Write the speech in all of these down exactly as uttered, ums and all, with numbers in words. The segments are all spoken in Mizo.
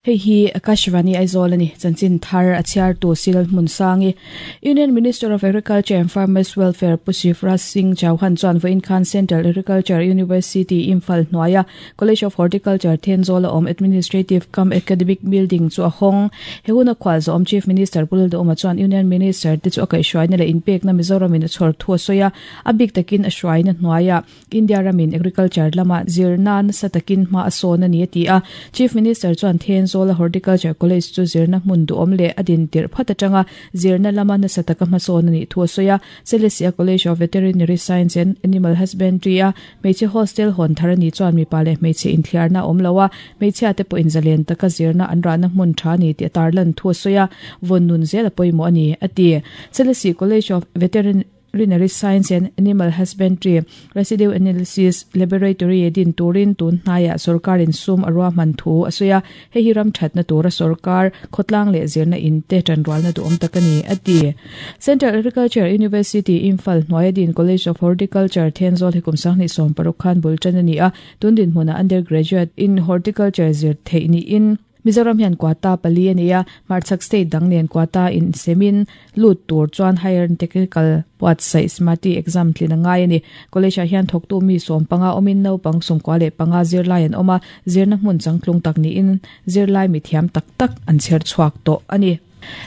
Hei hi Akashvani Aizawl ani chanchin thar a chhiar tu Sil Hmunsangi Union Minister of Agriculture and Farmers Welfare Pu Shivraj Singh Chauhan chuan vawiin khan Central Agriculture University Imphal hnuaia College of Horticulture Thenzawl a awm Administrative cum Academic Building chu a hawng. He huna khual zawm Chief Minister Pu Lalduhoma chuan Union Minister te chu a kaihhruaina leh inpekna Mizoramin a chhawr thu a sawi a, a bik takin a hruaina hnuaia India ramin agriculture lama zirna nasa takin hma a sawn a ni a ti a. Chief Minister chuan Thenzawl Horticulture College chu zirna hmun duhawm leh a din tirh phat atanga zirna lama nasa taka hmasawn a nih thu a sawi a. Selesih College of Veterinary Science and Animal Husbandry a hmeichhe hostel hawn thar a nih chuan mipa leh hmeichhe inthliarna a awm lo a, hmeichhia te pawhin zalen taka zirna an rahna hmun tha a ni tih a tarlan thu a sawi a, vawn nun zel a pawimawh a ni a ti. Selesih College of Veterinary Science and Animal Husbandry Residue Analysis Laboratory din turin tun hnaiah sorkarin sum a ruahman thu a sawi a, hei hi ram thatna tura sorkar khawtlang leh zirna in te tanrualna duhawm tak a ni a ti. Central Agriculture University Imphal hnuaia din College of Horticulture Thenzawl hi kum sanghnih sawm paruk khan bul tan a ni a, tun dinhmunah undergraduate in horticulture zir theih niin Mizoram hian quota pali a nei a, hmarchhak state dang nen quota insemin lut tur chuan higher technical buatsaih SMATI exam tlin a ngai a ni. College ah hian thawktu mi sawm panga awmin naupang sawmkua leh panga zirlai an awm a, zirna hmun changtlung tak niin zirlai mithiam tak tak an chher chhuak tawh a ni.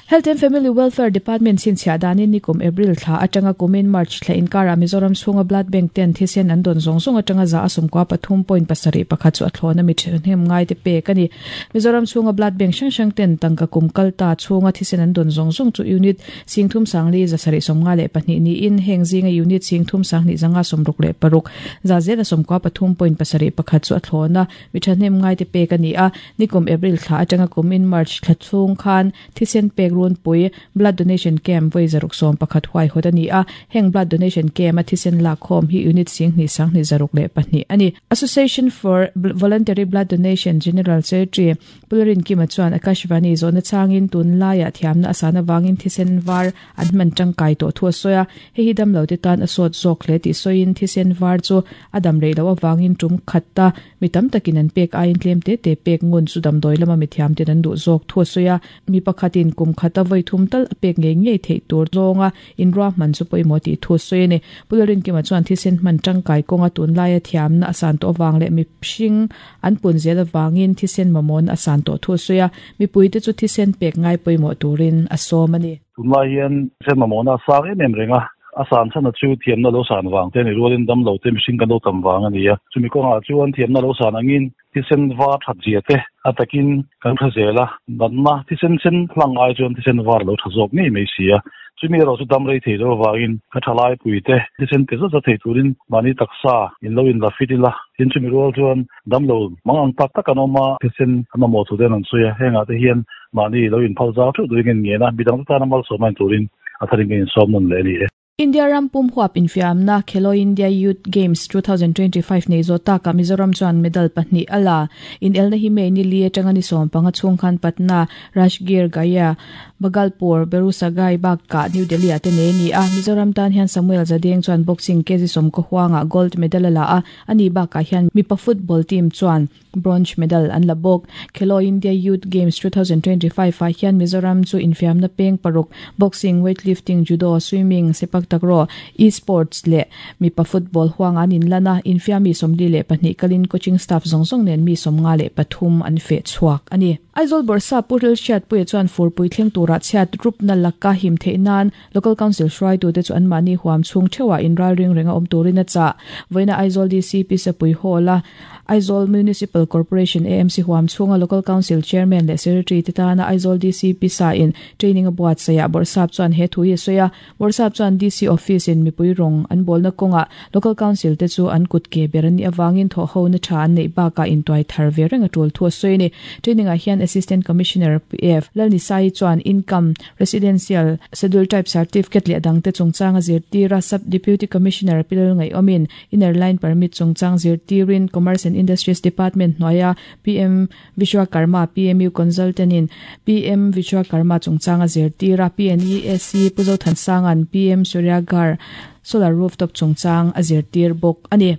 Health and Family Welfare Department chhinchhiah danin nikum April thla atanga kumin March thla inkarah Mizoram chhunga blood bank ten thisen an dawn zawng zawng atanga za a sawmkua pathum point pasarih pakhat chu a thlawn a mi thahnem ngai te pek a ni. Mizoram chhunga blood bank hrang hrang ten tangka kum kal ta chhunga thisen an dawn zawng zawng chu unit singthum sangli za sarih sawmnga leh pahnih niin heng zinga unit singthum sanghnih zanga sawmruk leh paruk za zel a sawmkua pathum point pasarih pakhat chu a thlawn a mi thahnem ngai te pek a ni a. Nikum April thla atanga kumin March thla chhung khan thisen pek run pui blood donation camp voi zaruk sawm pakhat huai hawt a ni a, heng blood donation camp a thisen lak khawm hi unit singhnih sanghnih zaruk leh pahnih a ni. Association for Voluntary Blood Donation General Secretary Pularin Kima chuan Akashvani zawhna changin tun laiah thiamna a san avangin thisen var an hman tangkai tawh thu a sawi a, hei hi damlo te tan a sawt zawk hle tih sawiin thisen var chu a dam rei loh avangin tum khat ta mi tam takin an pek aiin tlem te te pek ngun chu damdawi lama mi thiam ten an duh zawk thu a sawi a, mi pakhatin kum khata voi thum tal a pek ngei ngei theih tur zawnga inruahman chu pawimawh tih thu a sawi a ni. Pularin Kima chuan thisen hman tangkai kawnga tun laia thiamna a san tawh avang leh mi hring an pun zel avangin thisen mamawhna a san tawh thu a sawi a, mipuite chu thisen pek ngai pawimawh turin a sawm a ni. Tun lai hian thisen mamawhna a sang em em reng a, a san chhan a chu thiamna lo san vang te ni rualin damlo te mihring kan lo tam vang a ni a, chumi kawngah chuan thiamna lo san angin thisen var that zia te a takin kan tha zel a, natna thisen sen hlang ai chuan thisen var lo tha zawk ngei mai si a, chumi erawh chu dam rei thei lo avangin ka tha lai pui te thisen pe zat zat thei turin mahni taksa in lo in la fit ila, tin chumi rual chuan damlo mang ang tak tak an awm a, thisen an mamawh thu ten an sawi a, hengah te hian mahni lo in phal zau theuh turin ngen ngen a, midang te tan a malsawm ain turin a tharin ka insawm nawn leh a ni e. India ram pum huap infiamna Khelo India Youth Games twenty twenty-five nei zawh takah Mizoram chuan medal pahnih a la. In elna hi May ni li atanga ni sawm panga chhung khan Patna, Rajgir, Gaya, Bhagalpur, Begusarai bakah New Delhi ah te nei a ni a. Mizoram tan hian Samuel Zadeng chuan boxing kg sawm kaw huangah gold medal a la a, ani bakah hian mipa football team chuan bronze medal an la bawk. Khelo India Youth Games twenty twenty-five ah hian Mizoram chu infiamna peng paruk boxing, weightlifting, judo, swimming, sepak takraw, e-sports leh mipa football huang an inlan a, infiam mi sawmli leh pahnih kalin coaching staff zawng zawng nen mi sawmnga leh pathum an feh chhuak a ni. Aizawl Bawrhsap Pu Rilhriat Puia chuan furpui thleng turah chhiat rupna laka him theih nan local council hruaitute chu an mahni huam chhung theuhah inral ring renga awm turin a chah. Vawiina Aizawl D C P Sapui Hall a Aizawl Municipal Corporation A M C huam chhunga local council chairman leh secretary te tana Aizawl D C P sa in training a buatsaihah Bawrhsap chuan he thu hi a sawi a. Bawrhsap chuan D C office in mipui rawng an bawlna kawngah local council te chu an kut ke ber an nih avangin thawh ho na tha an neih bakah intuai thar ve reng a tul thu a sawi a ni. Training ah hian Assistant Commissioner P F Lalnisai chuan income residential schedule type certificate leh dang te chungchang a zirtira Sub Deputy Commissioner Pilal Ngai Omin inner line permit chungchang zirtirin Commerce and Industries Department hnuaia P M Vishwakarma P M U consultant in P M Vishwakarma chungchang a zirtira P N E S C Puzo Thansangan P M Suryaghar solar rooftop chungchang a zirtir bawk a ni.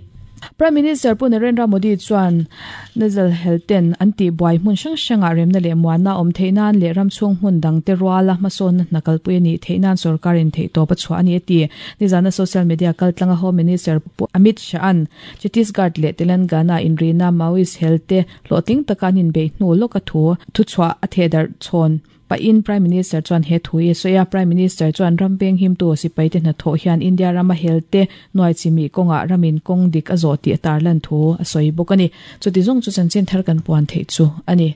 Prime Minister Pu Narendra Modi chuan Naxal helten an ti buai hmun hrang hranga remna leh muanna awm theihnan leh ram chhung hmun dang te ruala hmasawnna hna kalpui ani theihnan sorkarin theih tawp a chhuah ani a ti. Nizana social media kaltlanga Home Minister Pu Amit Shah an Chhattisgarh leh Telangana inrina Maoist helte hlawhtling taka an inbeih hnu lawka thu thu chhuah a thehdarh chhawn pa in Prime Minister chuan he thu hi a sawi a. Prime Minister chuan ram veng him tu sipai te hnathawh hian India rama helte nuai chimi kawngah ramin kawng dik a zawh tih a tarlan thu a sawi bawk a ni. Chuti zawng chu chanchin thar kan puan theih chu a ni.